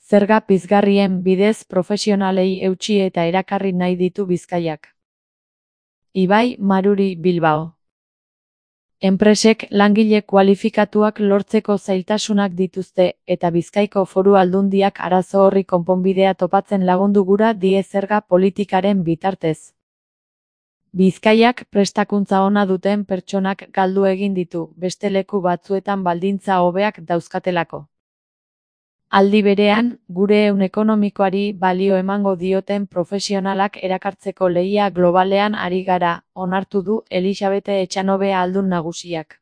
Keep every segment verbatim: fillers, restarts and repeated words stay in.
Zerga pizgarrien bidez profesionalei eutsi eta erakarri nahi ditu Bizkaiak. Ibai Maruri Bilbao. Enpresek langile kualifikatuak lortzeko zailtasunak dituzte eta Bizkaiko Foru Aldundiak arazo horri konponbidea topatzen lagundu gura die zerga politikaren bitartez. Bizkaiak prestakuntza ona duten pertsonak galdu egin ditu, beste leku batzuetan baldintza hobeak dauzkatelako. Aldi berean, gure ehun ekonomikoari balio emango dioten profesionalak erakartzeko lehia globalean ari gara, onartu du Elisabete Etxanobe Ahaldun Nagusiak.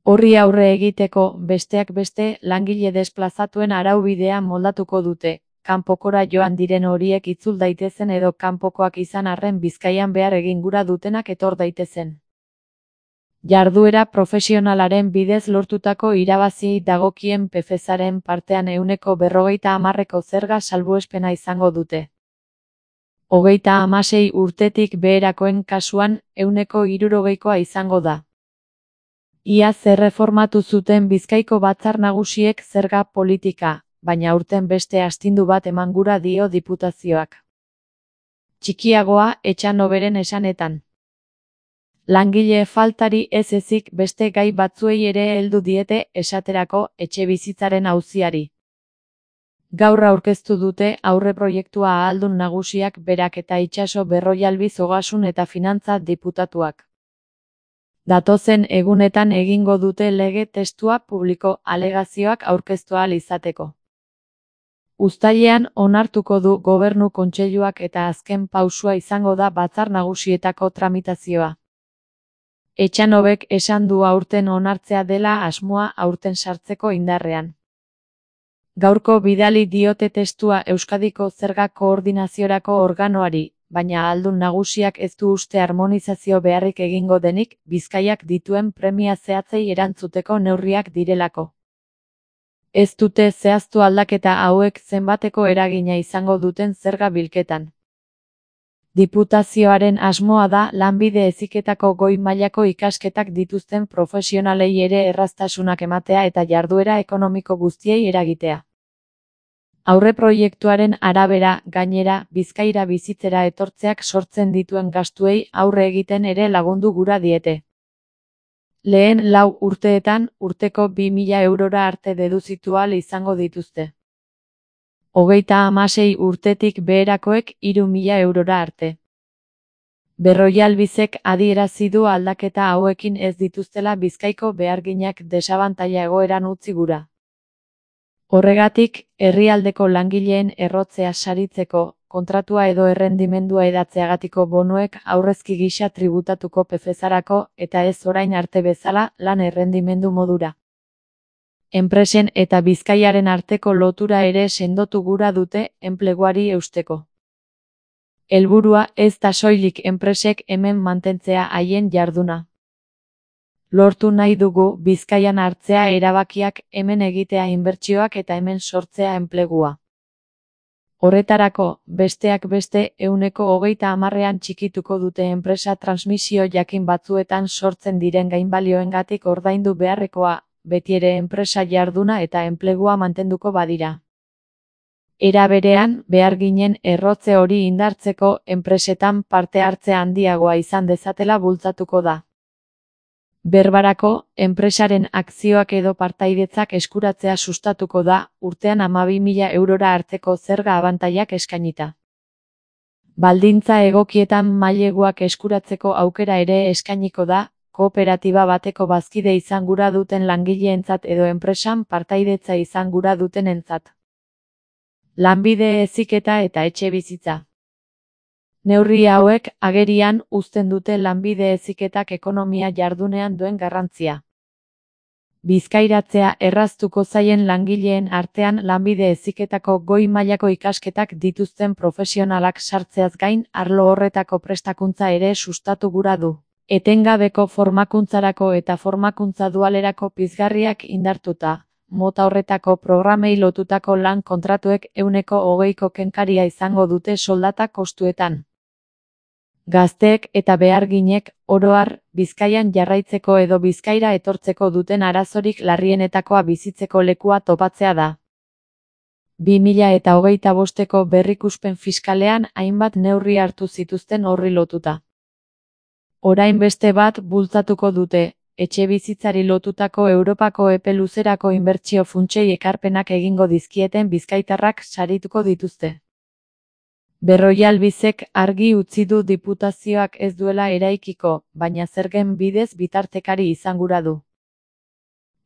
Horri aurre egiteko, besteak beste, langile desplazatuen araubidea moldatuko dute, kanpokora joan diren horiek itzul daitezen edo kanpokoak izan arren Bizkaian behar egin gura dutenak etor daitezen. Jarduera profesionalaren bidez lortutako irabaziei dagokien P F E aren partean ehuneko berrogeita hamarreko zerga salbuespena izango dute. Hogeita hamasei urtetik beherakoen kasuan ehuneko hirurogeikoa izango da. Iaz erreformatu zuten Bizkaiko Batzar Nagusiek zerga politika, baina aurten beste astindu bat eman gura dio diputazioak. Txikiagoa Etxanoberen esanetan. Langile faltari ez ezik beste gai batzuei ere heldu diete, esaterako etxebizitzaren auziari. Gaur aurkeztu dute aurreproiektua Ahaldun Nagusiak berak eta Itxaso Berrojalbiz Ogasun eta Finantza diputatuak. Datozen egunetan egingo dute lege testua publiko alegazioak aurkeztu ahal izateko. Uztailean onartuko du Gobernu Kontseiluak eta azken pausua izango da Batzar Nagusietako tramitazioa. Etxanobek esan du aurten onartzea dela asmoa aurten sartzeko indarrean. Gaurko bidali diote testua Euskadiko zerga koordinaziorako organoari, baina Ahaldun Nagusiak ez du uste harmonizazio beharrik egingo denik, Bizkaiak dituen premia zehatzei erantzuteko neurriak direlako. Ez dute zehaztu aldaketa hauek zenbateko eragina izango duten zerga bilketan. Diputazioaren asmoa da lanbide heziketako goi mailako ikasketak dituzten profesionalei ere erraztasunak ematea eta jarduera ekonomiko guztiei eragitea. Aurreproiektuaren arabera, gainera, Bizkaira bizitzera etortzeak sortzen dituen gastuei aurre egiten ere lagundu gura diete. Lehen lau urteetan, urteko bi mila eurora arte deduzitu ahal izango dituzte. Hogeita hamasei urtetik beherakoek hiru mila eurora arte. Berrojalbizek adierazi du aldaketa hauekin ez dituztela Bizkaiko beharginak desabantaila egoeran utzi gura. Horregatik, herrialdeko langileen errotzea saritzeko, kontratua edo errendimendua edatzeagatiko bonuek aurrezki gisa tributatuko P F E arako eta ez orain arte bezala lan errendimendu modura. Enpresen eta Bizkaiaren arteko lotura ere sendotu gura dute enpleguari eusteko. Helburua ez da soilik enpresek hemen mantentzea haien jarduna. Lortu nahi dugu Bizkaian hartzea erabakiak, hemen egitea inbertsioak eta hemen sortzea enplegua. Horretarako, besteak beste, ehuneko hogeita hamarrean txikituko dute enpresa transmisio jakin batzuetan sortzen diren gainbalioengatik ordaindu beharrekoa, betiere enpresa jarduna eta enplegua mantenduko badira. Era berean, beharginen errotze hori indartzeko enpresetan parte hartze handiagoa izan dezatela bultzatuko da. Berbarako, enpresaren akzioak edo partaidetzak eskuratzea sustatuko da, urtean hamabi mila eurora arteko zerga abantailak eskainita. Baldintza egokietan maileguak eskuratzeko aukera ere eskainiko da, kooperatiba bateko bazkide izan gura duten langileentzat edo enpresan partaidetza izan gura dutenentzat. Lanbide heziketa eta etxebizitza. Neurri hauek agerian uzten dute lanbide heziketak ekonomia jardunean duen garrantzia. Bizkairatzea erraztuko zaien langileen artean lanbide heziketako goi mailako ikasketak dituzten profesionalak sartzeaz gain arlo horretako prestakuntza ere sustatu gura du. Etengabeko formakuntzarako eta formakuntza dualerako pizgarriak indartuta, mota horretako programei lotutako lan kontratuek ehuneko hogeiko kenkaria izango dute soldata kostuetan. Gazteek eta beharginek, oro har, Bizkaian jarraitzeko edo Bizkaira etortzeko duten arazorik larrienetakoa bizitzeko lekua topatzea da. bi mila eta hogeita bosteko berrikuspen fiskalean hainbat neurri hartu zituzten horri lotuta. Orain beste bat bultzatuko dute, etxebizitzari lotutako Europako epe luzerako inbertsio funtsei ekarpenak egingo dizkieten bizkaitarrak sarituko dituzte. Berroial Bizek argi utzi du diputazioak ez duela eraikiko, baina zergen bidez bitartekari izangura du.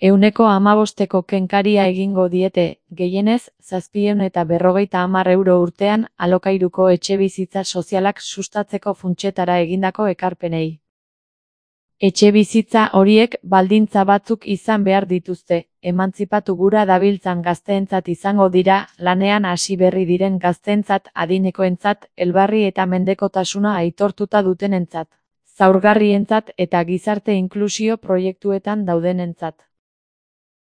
Ehuneko hamabosteko kenkaria egingo diete, gehienez, zazpiehun eta berrogeita hamar euro urtean, alokairuko etxebizitza sozialak sustatzeko funtsetara egindako ekarpenei. Etxebizitza horiek baldintza batzuk izan behar dituzte, emantzipatu gura dabiltzan gazteentzat izango dira, lanean hasi berri diren gazteentzat, adinekoentzat, elbarri eta mendekotasuna aitortuta dutenentzat, zaurgarrientzat eta gizarte inklusio proiektuetan daudenentzat.